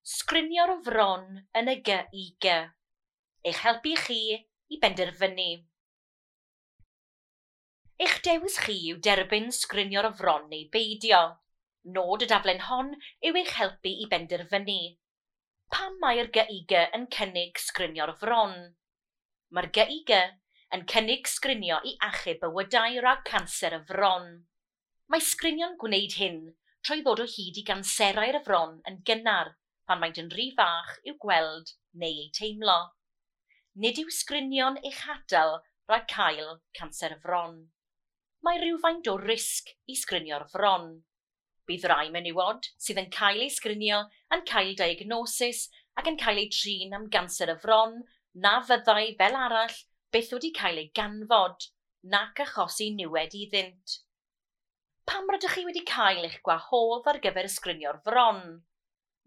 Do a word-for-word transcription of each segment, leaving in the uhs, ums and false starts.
Sgrinio'r fron yn y G I G. Eich helpu chi i benderfynu. Eich dewis chi yw derbyn sgrinio'r fron neu beidio. Nod y daflen hon yw eich helpu i benderfynu. Pam mae'r G I G yn cynnig sgrinio'r fron? Mae'r G I G yn cynnig sgrinio i achub bywydau rhag canser y fron. Mae sgrinio'n gwneud hyn trwy ddod o hyd i ganserau'r fron yn gynnar pan maent yn rhy fach i'w gweld neu eu teimlo. Nid yw sgrinio'n eich hatal rhag cael canser y fron. Mae rhywfaint o risg i sgrinio'r fron. Bydd rai menywod sydd yn cael eu sgrinio yn cael diagnosis ac yn cael eu trin am ganser y fron na fyddai fel arall byth wedi cael ei ganfod nac achosi niwed iddynt. Pam rydych chi wedi cael eich gwahodd ar gyfer sgrinio'r fron?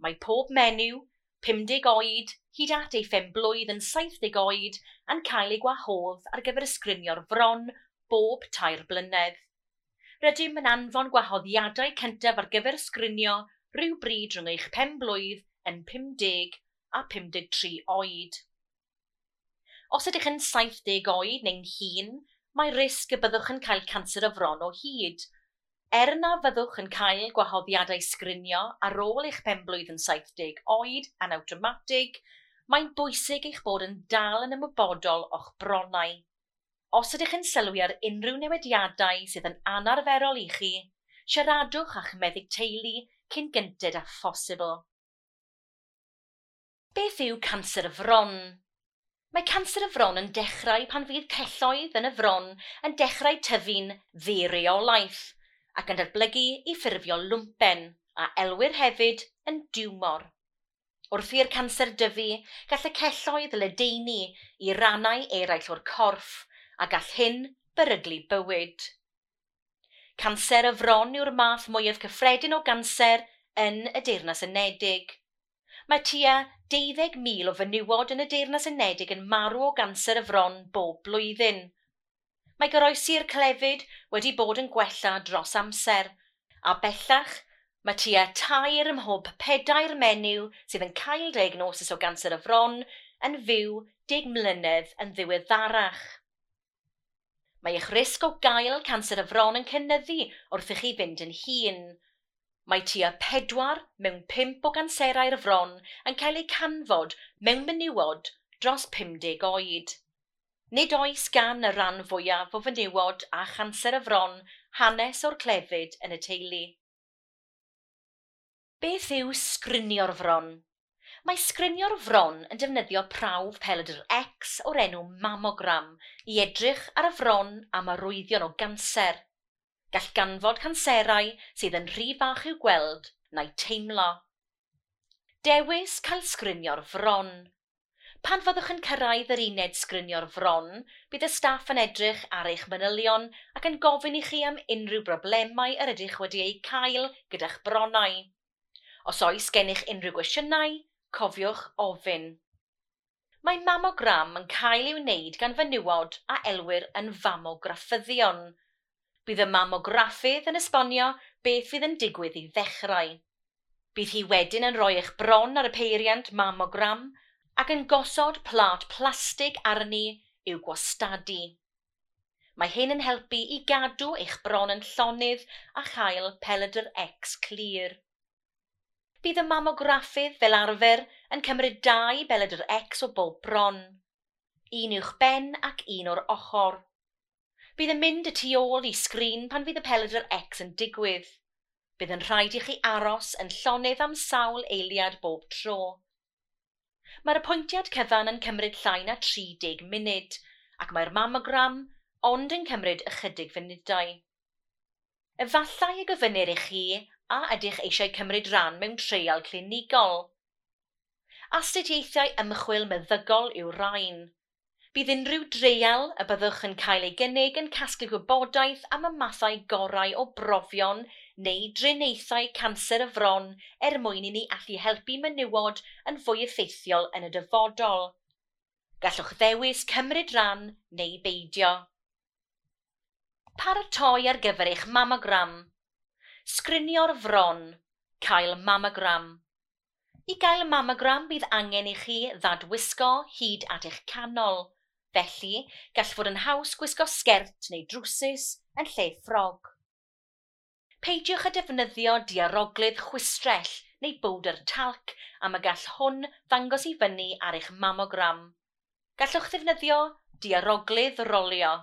Mae pob menyw, pumdeg oed, hyd at ei phen-blwydd yn saithdeg oed yn cael ei gwahodd ar gyfer sgrinio'r fron bob tair blynedd. Rydym yn anfon gwahoddiadau cyntaf ar gyfer sgrinio rhywbryd rhwng eich pen-blwydd yn pumdeg a pumdeg tri oed. Os ydych yn saithdeg oed neu'n hŷn, mae risg y byddwch yn cael canser y fron o hyd. Er na fyddwch yn cael gwahoddiadau sgrinio ar ôl eich penblwydd yn saithdeg oed yn awtomatig, mae'n bwysig eich bod yn dal yn ymwybodol o'ch bronnau. Os ydych yn sylwi ar unrhyw newidiadau sydd yn anarferol i chi, siaradwch â'ch meddyg teulu cyn gynted â phosibl. Beth yw canser y fron? Mae canser y fron yn dechrau pan fydd celloedd yn y fron yn dechrau tyfu'n ddireolaeth ac yn datblygu i ffurfio lwmpen, a elwir hefyd yn diwmor. Wrth i'r canser dyfu, gall y celloedd ledaenu i rannau eraill o'r corff, a gall hyn beryglu bywyd. Canser y fron yw'r math mwyaf cyffredin o ganser yn y Deyrnas Unedig. Mae tua deuddeg mil o fenywod yn y Deyrnas Unedig yn marw o ganser y fron bob blwyddyn. Mae goroesi'r clefyd wedi bod yn gwella dros amser, a bellach mae tua tair ym mhob pedair menyw sydd yn cael diagnosis o ganser y fron yn fyw deg mlynedd yn ddiweddarach. Mae eich risg o gael canser y fron yn cynyddu wrth i chi fynd yn hŷn. Mae tua pedwar mewn pump o ganserau'r fron yn cael eu canfod mewn menywod dros pumdeg oed. Nid oes gan y rhan fwyaf o fenywod a chanser y fron hanes o'r clefyd yn y teulu. Beth yw sgrinio'r fron? Mae sgrinio'r fron yn defnyddio prawf pelydr X o'r enw mammogram i edrych ar y fron am arwyddion o ganser. Gall ganfod canserau sydd yn rhy fach i'w gweld na'u teimlo. Dewis cael sgrinio'r fron. Pan fyddwch yn cyrraedd yr uned sgrinio'r fron, bydd y staff yn edrych ar eich manylion ac yn gofyn i chi am unrhyw broblemau yr ydych wedi eu cael gyda'ch bronnau. Os oes gennych unrhyw gwestiynau, cofiwch ofyn. Mae mammogram yn cael ei wneud gan fenywod a elwir yn famograffyddion. Bydd y mamograffydd yn esbonio beth fydd yn digwydd i ddechrau. Bydd hi wedyn yn rhoi eich bron ar y peiriant mammogram ac yn gosod plât plastig arni i'w gwastadu. Mae hyn yn helpu i gadw eich bron yn llonydd a chael pelydr X clir. Bydd y mamograffydd fel arfer yn cymryd dau belydr X o bob bron, un uwch ben ac un o'r ochr. Bydd yn mynd y tu ôl i sgrin pan fydd y pelydr X yn digwydd. Bydd yn rhaid i chi aros yn llonydd am sawl eiliad bob tro. Mae'r apwyntiad cyfan yn cymryd llai na tri deg munud, ac mae'r mammogram ond yn cymryd ychydig funudau. Efallai y gofynnir i chi a ydych eisiau cymryd rhan mewn treial clinigol. Astudiaethau ymchwil meddygol yw'r rhain. Bydd unrhyw dreial y byddwch yn cael ei gynnig yn casglu gwybodaeth am y mathau gorau o brofion neu driniaethau canser y fron er mwyn i ni allu helpu menywod yn fwy effeithiol yn y dyfodol. Gallwch ddewis cymryd rhan neu beidio. Paratoi ar gyfer eich mammogram. Sgrinio'r fron. Cael mammogram. I gael mamogram bydd angen i chi ddadwisgo hyd at eich canol. Felly, gall fod yn haws gwisgo sgert neu drwsus yn lle ffrog. Peidiwch â defnyddio diaroglydd chwistrell neu bowdr talc am y gall hwn ddangos i fyny ar eich mamogram. Gallwch ddefnyddio diaroglydd rolio.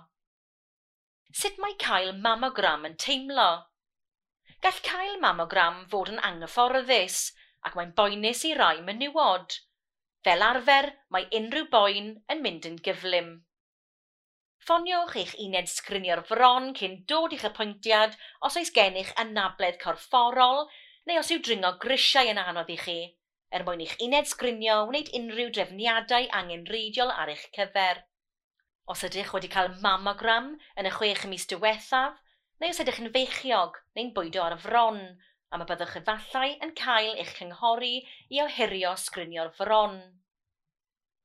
Sut mae cael mamogram yn teimlo? Gall cael mamogram fod yn anghyfforddus ac mae'n boenus i rai menywod. Fel arfer, mae unrhyw boen yn mynd yn gyflym. Ffoniwch eich uned sgrinio'r fron cyn dod i'ch apwyntiad os oes gennych anabledd corfforol neu os yw dringo grisiau yn anodd i chi, er mwyn i'ch uned sgrinio wneud unrhyw drefniadau angenrheidiol ar eich cyfer. Os ydych wedi cael mamogram yn y chwech mis diwethaf, neu os ydych yn feichiog neu'n bwydo ar y fron, am y byddwch efallai yn cael eich cynghori i ohirio sgrinio'r fron.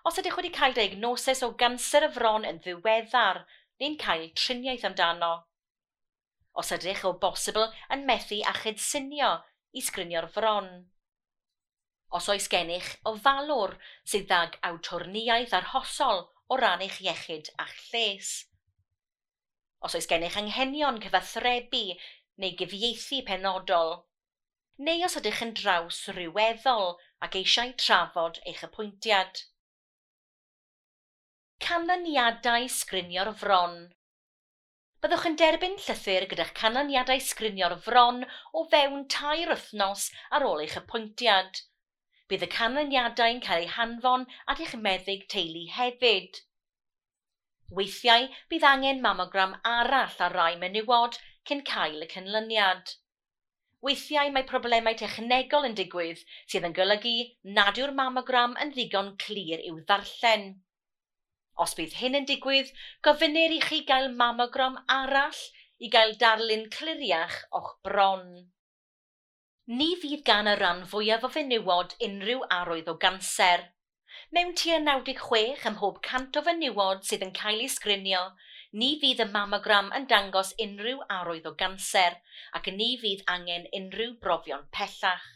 Os ydych wedi cael diagnosis o ganser y fron yn ddiweddar neu'n cael triniaeth amdano. Os ydych o bosibl yn methu â chydsynio i sgrinio'r fron. Os oes gennych ofalwr sydd ag awtorniaeth arhosol o ran eich iechyd a'ch lles. Os oes gennych anghenion cyfathrebu neu gyfieithu penodol, neu os ydych yn draws ryweddol ac eisiau trafod eich apwyntiad. Canlyniadau sgrinio'r fron. Byddwch yn derbyn llythyr gyda'ch canlyniadau sgrinio'r fron o fewn tair wythnos ar ôl eich apwyntiad. Bydd y canlyniadau'n cael eu hanfon at eich meddyg teulu hefyd. Weithiau, bydd angen mamogram arall ar rai menywod cyn cael y canlyniad. Weithiau mae problemau technegol yn digwydd sydd yn golygu nad yw'r mamogram yn ddigon clir i'w ddarllen. Os bydd hyn yn digwydd, gofynnir i chi gael mamogram arall i gael darlun cliriach o'ch bron. Ni fydd gan y rhan fwyaf o fenywod unrhyw arwydd o ganser. Mewn tua naw deg chwech ym mhob cant o fenywod sydd yn cael eu sgrinio, ni fydd y mamogram yn dangos unrhyw arwydd o ganser ac ni fydd angen unrhyw brofion pellach.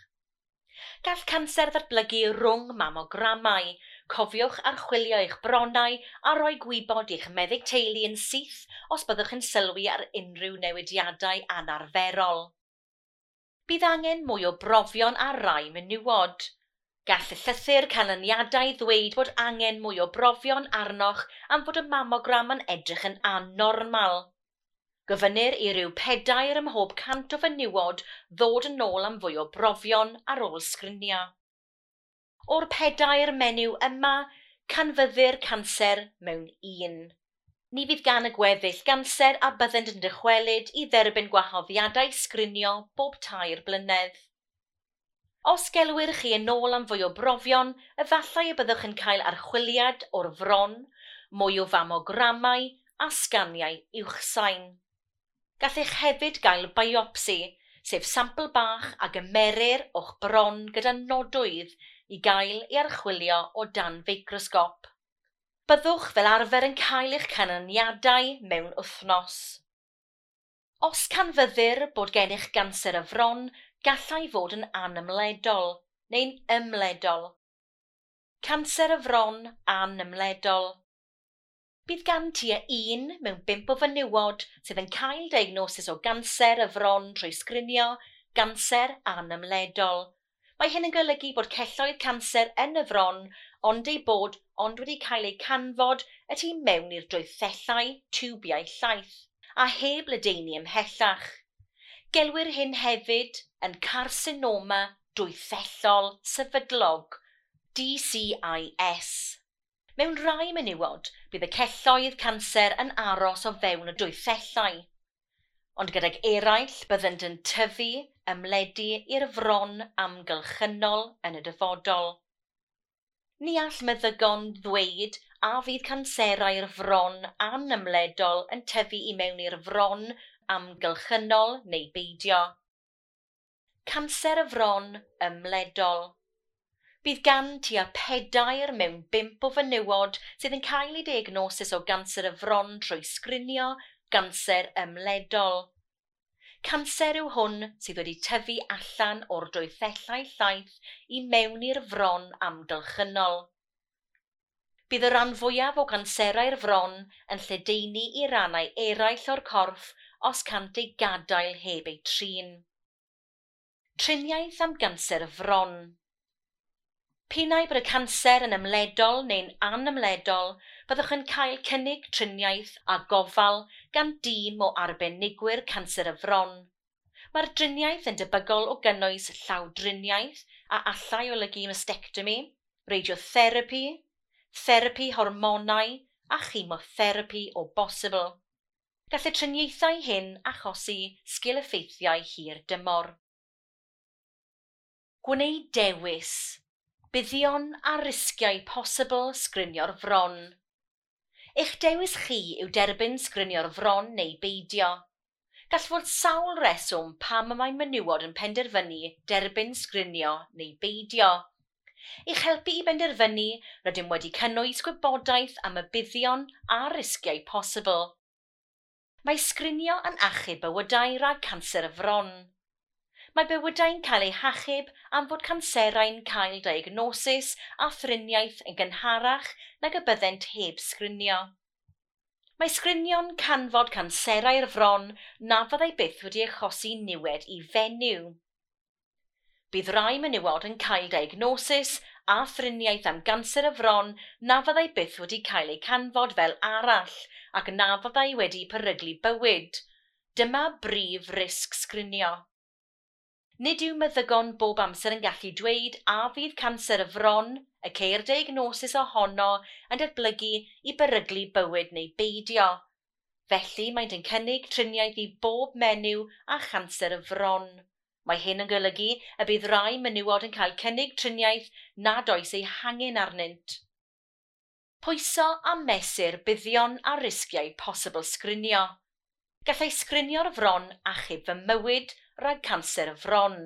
Gall canser ddatblygu rhwng mamogramau. Cofiwch archwilio eich bronnau a rhoi gwybod i'ch meddyg teulu yn syth os byddwch yn sylwi ar unrhyw newidiadau anarferol. Bydd angen mwy o brofion ar rai menywod. Gall y llythyr canlyniadau ddweud bod angen mwy o brofion arnoch am fod y mamogram yn edrych yn annormal. Gofynnir i ryw pedair ym mhob cant o fenywod ddod yn ôl am fwy o brofion ar ôl sgrinio. O'r pedair menyw yma, canfyddir canser mewn un. Ni fydd gan y gweddill ganser a byddent yn dychwelyd i dderbyn gwahoddiadau sgrinio bob tair blynedd. Os gelwir chi yn ôl am fwy o brofion, efallai y byddwch yn cael archwiliad o'r fron, mwy o famogramau a sganiau uwchsain. Gallech hefyd gael biopsi, sef sampl bach a gymerir o'ch bron gyda nodwydd i gael ei archwilio o dan feicrosgop. Byddwch fel arfer yn cael eich canlyniadau mewn wythnos. Os canfyddir bod gennych ganser y fron, gallai fod yn anymledol neu'n ymledol. Canser y fron anymledol. Bydd gan tua un mewn bump o fenywod sydd yn cael diagnosis o ganser y fron trwy sgrinio ganser anymledol. Mae hyn yn golygu bod celloedd canser yn y fron, ond ei bod ond wedi cael eu canfod y tu mewn i'r dwythellau tiwbiau llaeth, a heb ledaenu ymhellach. Gelwir hyn hefyd yn carcinoma dwythellol sefydlog, D C I S. Mewn rai menywod, bydd y celloedd canser yn aros o fewn y dwythellau, ond gydag eraill byddent yn tyfu, ymledu i'r fron amgylchynol yn y dyfodol. Ni all meddygon ddweud a fydd canserau'r fron anymledol yn tyfu i mewn i'r fron amgylchynol neu beidio. Canser y fron ymledol. Bydd gan tua pedair mewn bump o fenywod sydd yn cael eu diagnosis o ganser y fron trwy sgrinio ganser ymledol. Canser yw hwn sydd wedi tyfu allan o'r dwythellau llaeth i mewn i'r fron amgylchynol. Bydd y rhan fwyaf o ganserau'r fron yn lledaenu i rannau eraill o'r corff os cant eu gadael heb eu trin. Triniaeth am ganser y fron. P'un ai bod y canser yn ymledol neu'n anymledol, byddwch yn cael cynnig triniaeth a gofal gan dîm o arbenigwyr canser y fron. Mae'r driniaeth yn debygol o gynnwys llawdriniaeth a allai olygu mastectomi, radiotherapi, therapi hormonau a chemotherapi o bosibl. Gall y triniaethau hyn achosi sgil-effeithiau hir dymor. Gwneud dewis. Buddion a risgiau posibl sgrinio'r fron. Eich dewis chi yw derbyn sgrinio'r fron neu beidio. Gall fod sawl reswm pam y mae menywod yn penderfynu derbyn sgrinio neu beidio. I'ch helpu i benderfynu, rydym wedi cynnwys gwybodaeth am y buddion a risgiau posibl. Mae sgrinio yn achub bywydau rhag canser y fron. Mae bywydau'n cael eu hachub am fod canserau'n cael diagnosis a thriniaeth yn gynharach nag y byddent heb sgrinio. Mae sgrinio'n canfod canserau'r fron na fyddai byth wedi achosi niwed i fenyw. Bydd rai menywod yn cael diagnosis a thriniaeth am ganser y fron na fyddai byth wedi cael eu canfod fel arall ac na fyddai wedi peryglu bywyd. Dyma brif risg sgrinio. Nid yw meddygon bob amser yn gallu dweud a fydd canser y fron, y ceir diagnosis ohono, yn datblygu i beryglu bywyd neu beidio. Felly maent yn cynnig triniaeth i bob menyw â chanser y fron. Mae hyn yn golygu y bydd rai menywod yn cael cynnig triniaeth nad oes ei hangen arnynt. Pwyso a mesur buddion a risgiau posibl sgrinio. Gallai sgrinio'r fron achub fy mywyd rhag canser y fron.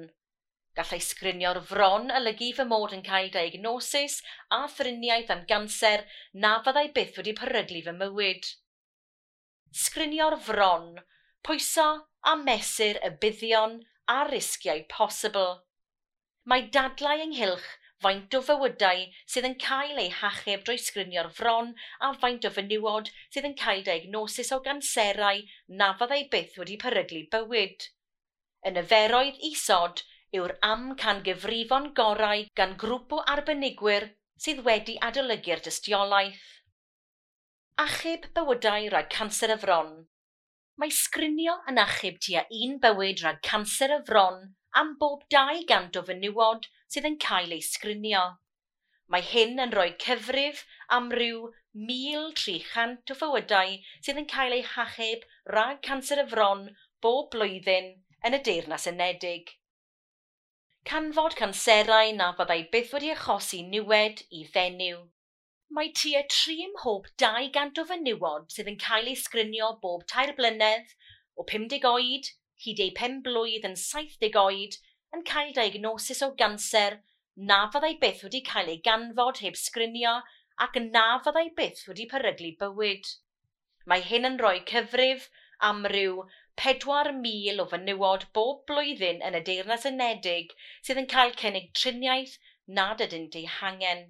Gallai sgrinio'r fron olygu fy mod yn cael diagnosis a thriniaeth am ganser na fyddai byth wedi peryglu fy mywyd. Sgrinio'r fron, pwyso a mesur y buddion a risgiau posibl. Mae dadlau ynghylch faint o fywydau sydd yn cael eu hachub drwy sgrinio'r fron a faint o fenywod sydd yn cael diagnosis o ganserau na fyddai byth wedi peryglu bywyd. Y niferoedd isod yw'r amcangyfrifon gorau gan grŵp o arbenigwyr sydd wedi adolygu'r dystiolaeth. Achub bywydau rhag canser y fron. Mae sgrinio yn achub tua un bywyd rhag canser y fron am bob dau gant o fenywod sydd yn cael eu sgrinio. Mae hyn yn rhoi cyfrif am ryw mil tri chant o fywydau sydd yn cael eu hachub rhag canser y fron bob blwyddyn yn y Deyrnas Unedig. Canfod canserau na fyddai byth wedi achosi niwed i fenyw. Mae tua tri ym mhob dau gant o fenywod sydd yn cael eu sgrinio bob tair blynedd, o pum deg oed hyd eu pen blwydd yn saith deg oed, yn cael diagnosis o ganser na fyddai byth wedi cael ei ganfod heb sgrinio ac na fyddai byth wedi peryglu bywyd. Mae hyn yn rhoi cyfrif am ryw pedwar mil o fenywod bob blwyddyn yn y Deyrnas Unedig sydd yn cael cynnig triniaeth nad ydynt ei hangen.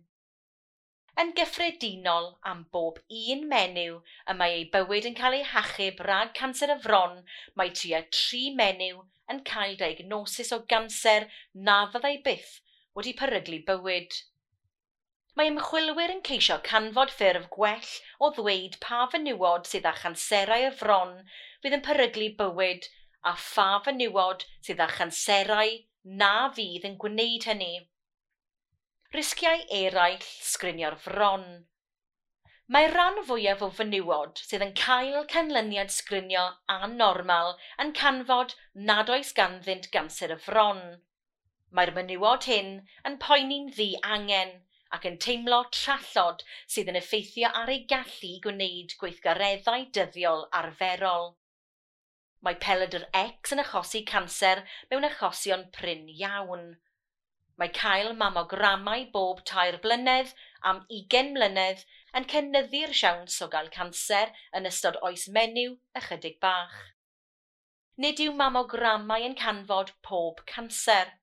Yn gyffredinol, am bob un menyw y mae ei bywyd yn cael ei hachub rhag canser y fron, mae tua tri menyw yn cael diagnosis o ganser na fyddai byth wedi peryglu bywyd. Mae ymchwilwyr yn ceisio canfod ffurf gwell o ddweud pa fenywod sydd â chanserau y fron fydd yn peryglu bywyd a pha fenywod sydd â chanserau na fydd yn gwneud hynny. Risgiau eraill sgrinio'r fron. Mae'r rhan fwyaf o fenywod sydd yn cael canlyniad sgrinio annormal yn canfod nad oes ganddynt ganser y fron. Mae'r menywod hyn yn poeni'n ddiangen ac yn teimlo trallod sydd yn effeithio ar eu gallu i gwneud gweithgareddau dyddiol arferol. Mae pelydr X yn achosi canser mewn achosion prin iawn. Mae cael mamogramau bob tair blynedd am ugain mlynedd yn cynyddu'r siawns o gael canser yn ystod oes menyw ychydig bach. Nid yw mamogramau yn canfod pob canser.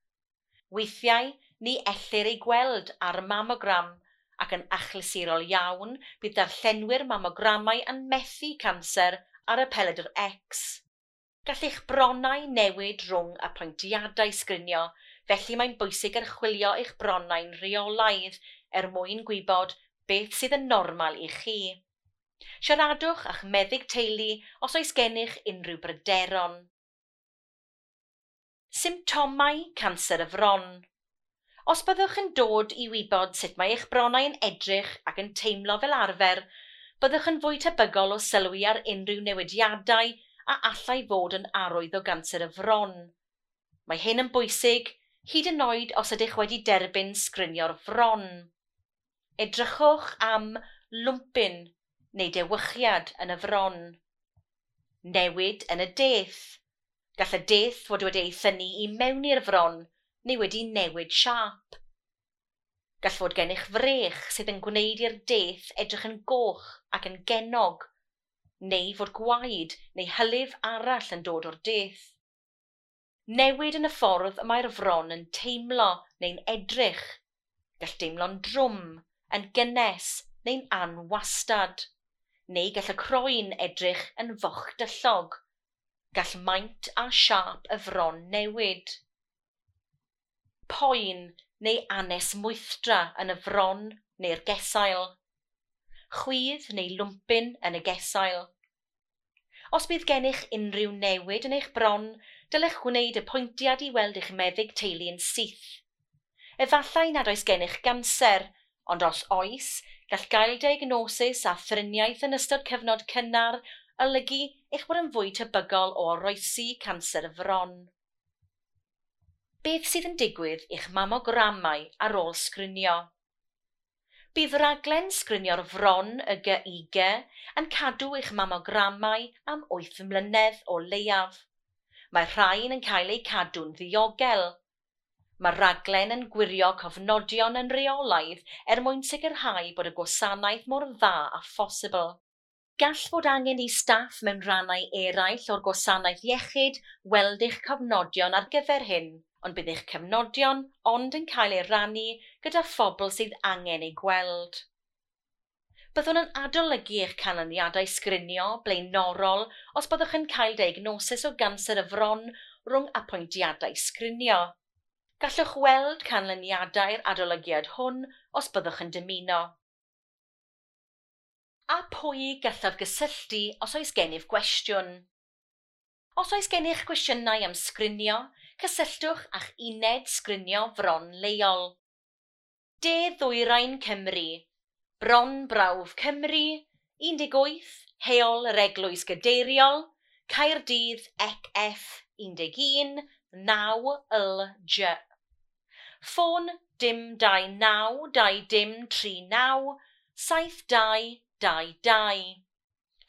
Weithiau, ni ellir ei gweld ar y mamogram, ac yn achlysurol iawn bydd darllenwyr mamogramau yn methu canser ar y pelydr X. Gall eich bronnau newid rhwng apwyntiadau sgrinio, felly mae'n bwysig archwilio eich bronnau'n rheolaidd er mwyn gwybod beth sydd yn normal i chi. Siaradwch â'ch meddyg teulu os oes gennych unrhyw bryderon. Symptomau canser y fron. Os byddwch yn dod i wybod sut mae eich bronnau yn edrych ac yn teimlo fel arfer, byddwch yn fwy tebygol o sylwi ar unrhyw newidiadau a allai fod yn arwydd o ganser y fron. Mae hyn yn bwysig, hyd yn oed os ydych wedi derbyn sgrinio'r fron. Edrychwch am lwmpyn neu dewychiad yn y fron. Newid yn y deth. Gall y deth fod wedi ei thynnu i mewn i'r fron neu wedi newid siâp. Gall fod gennych frech sydd yn gwneud i'r deth edrych yn goch ac yn gennog, neu fod gwaed neu hylif arall yn dod o'r deth. Newid yn y ffordd y mae'r fron yn teimlo neu'n edrych. Gall deimlo'n drwm, yn gynnes neu'n anwastad, neu gall y croen edrych yn fochdyllog. Gall maint a siâp y fron newid. Poen neu anesmwythdra yn y fron neu'r gesail. Chwydd neu lwmpyn yn y gesail. Os bydd gennych unrhyw newid yn eich bron, dylech wneud apwyntiad i weld eich meddyg teulu yn syth. Efallai nad oes gennych ganser, ond os oes, gall gael diagnosis a thriniaeth yn ystod cyfnod cynnar olygu eich bod yn fwy tebygol o oroesi canser y fron. Beth sydd yn digwydd i'ch mamogramau ar ôl sgrinio? Bydd rhaglen sgrinio'r fron y G I G yn cadw eich mamogramau am wyth mlynedd o leiaf. Mae'r rhain yn cael eu cadw'n ddiogel. Mae'r rhaglen yn gwirio cofnodion yn rheolaidd er mwyn sicrhau bod y gwasanaeth mor dda â phosibl. Gall fod angen i staff mewn rhannau eraill o'r gwasanaeth iechyd weld eich cofnodion ar gyfer hyn, ond bydd eich cofnodion ond yn cael eu rannu gyda phobl sydd angen eu gweld. Byddwn yn adolygu eich canlyniadau sgrinio blaenorol os byddwch yn cael diagnosis o ganser y fron rhwng apwyntiadau sgrinio. Gallwch weld canlyniadau'r adolygiad hwn os byddwch yn dymuno. A pwy gallaf gysylltu os oes gennyf gwestiwn? Os oes gennych gwestiynau am sgrinio, cysylltwch â'ch uned sgrinio fron leol. De Ddwyrain Cymru, Bron Brawf Cymru, un deg wyth, Heol yr Eglwys Gadeiriol, Caerdydd E C F un deg un, naw L J. Ffôn dim dau naw dau dim tri naw, saith dau dau dau.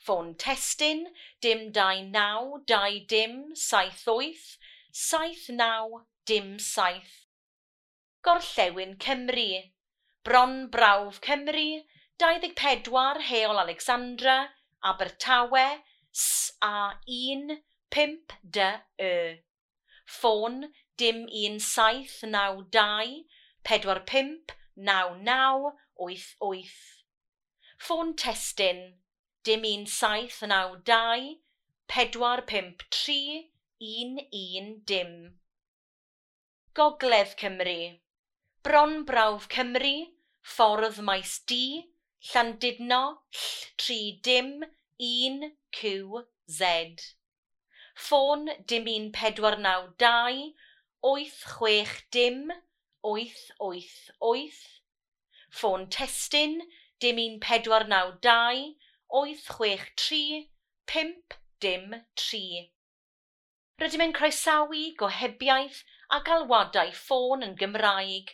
Ffôn testun dim dau naw dau dim saith wyth, saith naw dim saith. Gorllewin Cymru, Bron Brawf Cymru, dau ddeg pedwar Heol Alexandra, Abertawe, S A un, pump D E. Ffôn dim un saith naw dau, pedwar pump naw naw wyth wyth. Ffôn testun dim un saith naw dau, pedwar pump tri, un un dim. Gogledd Cymru, Bron Brawf Cymru, Ffordd Maes D, Llandudno, Ll tri dim, un Q Z. Ffôn dim un pedwar naw dau, wyth chwech dim, wyth wyth wyth. Ffôn testun dim un pedwar naw dau, wyth chwech tri, pump dim tri. Rydym yn croesawu gohebiaeth a galwadau ffôn yn Gymraeg.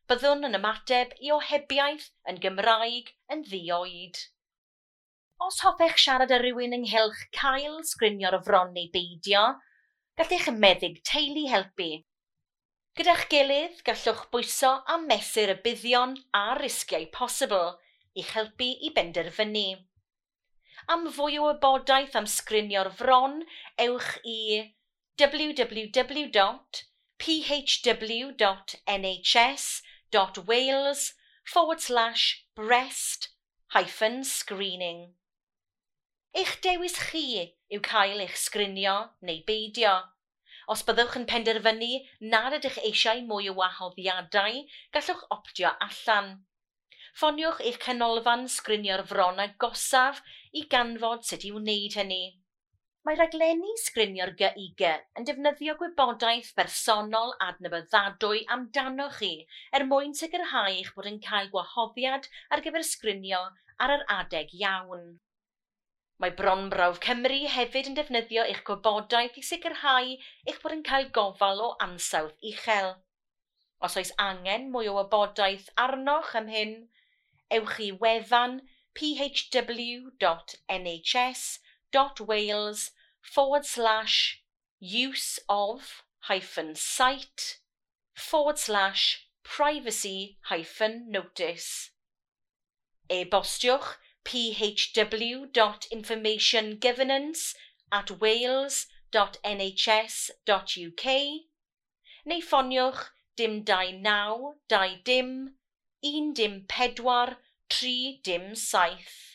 Byddwn yn ymateb i ohebiaeth yn Gymraeg yn ddi-oed. Os hoffech siarad â rhywun ynghylch cael sgrinio'r fron neu beidio, gall eich meddyg teulu helpu. Gyda'ch gilydd, gallwch bwyso a mesur y buddion a'r risgiau posibl i'ch helpu i benderfynu. Am fwy o wybodaeth am sgrinio'r fron, ewch i w w w dot p h w dot N H S dot wales forward slash breast hyphen screening. Eich dewis chi yw cael eich sgrinio neu beidio. Os byddwch yn penderfynu nad ydych eisiau mwy o wahoddiadau, gallwch optio allan. Ffoniwch eich canolfan sgrinio'r fron agosaf i ganfod sut i wneud hynny. Mae rhaglenni sgrinio'r G I G yn defnyddio gwybodaeth bersonol adnabyddadwy amdanoch chi er mwyn sicrhau eich bod yn cael gwahoddiad ar gyfer sgrinio ar yr adeg iawn. Mae Bronbrawf Cymru hefyd yn defnyddio eich gwybodaeth i sicrhau eich bod yn cael gofal o ansawdd uchel. Os oes angen mwy o wybodaeth arnoch am hyn, ewch i wefan P H W dot N H S dot wales forward slash use of hyphen site forward slash privacy hyphen notice. E-bostiwch P H W dot information governance at wales dot N H S dot U K neu ffoniwch dim dau naw dau dim un dim pedwar tri dim saith.